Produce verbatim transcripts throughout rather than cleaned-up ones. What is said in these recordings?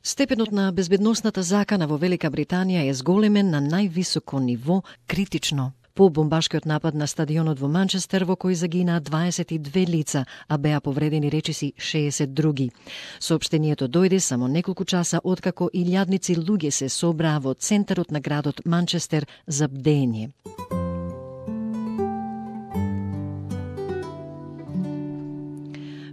Степенот на безбедносната закана во Велика Британија е зголемен на највисоко ниво, критично. По бомбашкиот напад на стадионот во Манчестер, во кој загинаа дваесет и две лица, а беа повредени речиси шеесет други. Соопштението дојде само неколку часа откако илјадници луѓе се собраа во центарот на градот Манчестер за бдење.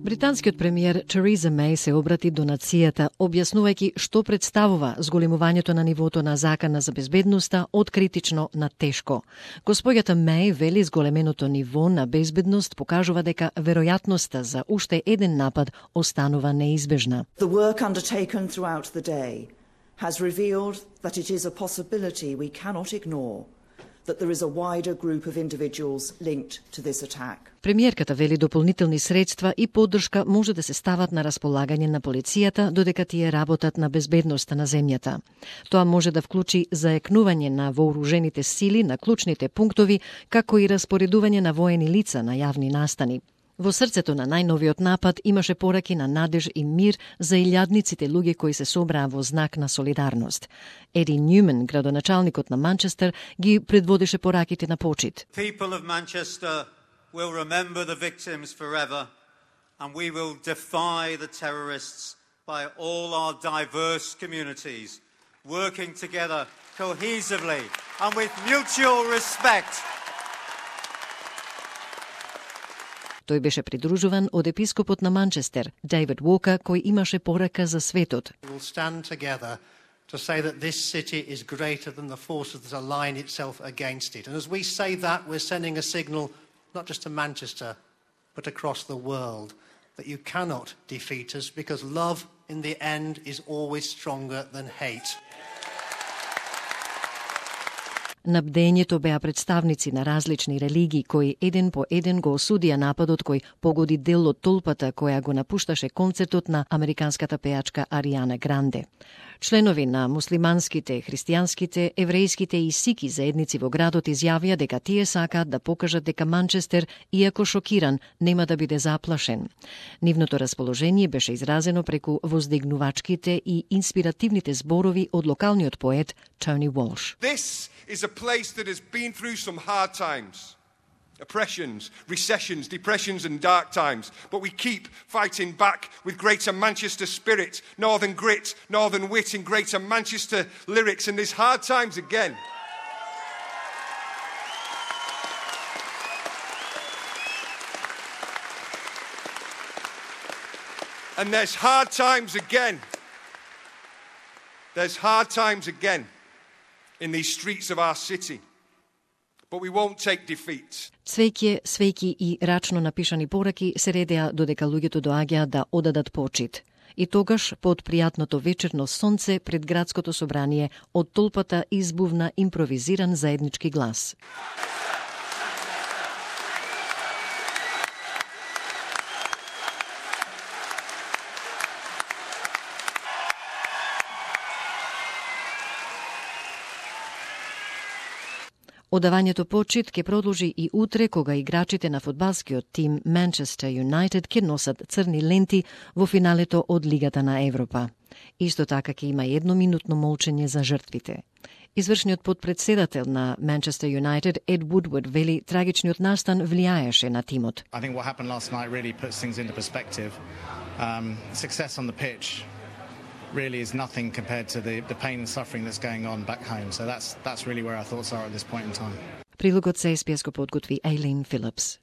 Британскиот премиер Тереза Меј се обрати до нацијата, објаснувајќи што представува зголемувањето на нивото на закана за безбедноста од критично на тешко. Господјата Меј вели зголеменото ниво на безбедност покажува дека веројатноста за уште еден напад останува неизбежна. The work undertaken throughout the day has revealed that it is a possibility we cannot ignore. That there is a wider group of individuals linked to this attack. Премиерката вели дополнителни средства и поддршка може да се стават на располагање на полицијата додека тие работат на безбедноста на земјата. Тоа може да вклучи заекнување на вооружените сили на клучните пунктови, како и распоредување на воени лица на јавни настани. Во срцето на најновиот напад имаше пораки на надеж и мир за илјадниците луѓе кои се собраа во знак на солидарност. Еди Нјумен, градоначалникот на Манчестер, ги предводеше пораките на почит. People of Manchester will remember the victims forever, and we will defy the terrorists by all our diverse communities, working together cohesively and with mutual respect. Тој беше придружуван од епископот на Манчестер, Дейвид Уокер, кој имаше порака за светот. We will stand together to say that this city is greater than the forces that align itself against it. And as we say that, we're sending a signal not just to Manchester, but across the world, that you cannot defeat us because love in the end is always stronger than hate. На бдењето беа представници на различни религии кои еден по еден го осудија нападот кој погоди дел од толпата која го напушташе концертот на американската пејачка Ариана Гранде. Членови на муслиманските, христијанските, еврејските и сики заедници во градот изјавија дека тие сакаат да покажат дека Манчестер, иако шокиран, нема да биде заплашен. Нивното расположение беше изразено преку воздигнувачките и инспиративните зборови од локалниот поет Тони Уолш. This is a place that has been through some hard times. Oppressions, recessions, depressions and dark times. But we keep fighting back with greater Manchester spirit, northern grit, northern wit and greater Manchester lyrics. And there's hard times again. And there's hard times again. There's hard times again in these streets of our city. But we won't take defeat. Цвеќе, свеќи и рачно напишани пораки се редеа додека луѓето доаѓаа да одадат почит. И тогаш, под пријатното вечерно сонце пред градското собрание, од толпата избувна импровизиран заеднички глас. Одавањето почит ќе продолжи и утре кога играчите на фудбалскиот тим Манчестер Юнайтед ќе носат црни ленти во финалето од Лигата на Европа. Исто така ќе има едноминутно молчење за жртвите. Извршниот подпредседател на Манчестер Юнайтед Ед Вудвард вели трагичниот настан влијаеше на тимот. I think what happened last night really puts things into perspective. Um, success on the pitch really is nothing compared to the, the pain and suffering that's going on back home. So that's that's really where our thoughts are at this point in time. Прилогот се ес би ес го подготви Ейлин Филипс.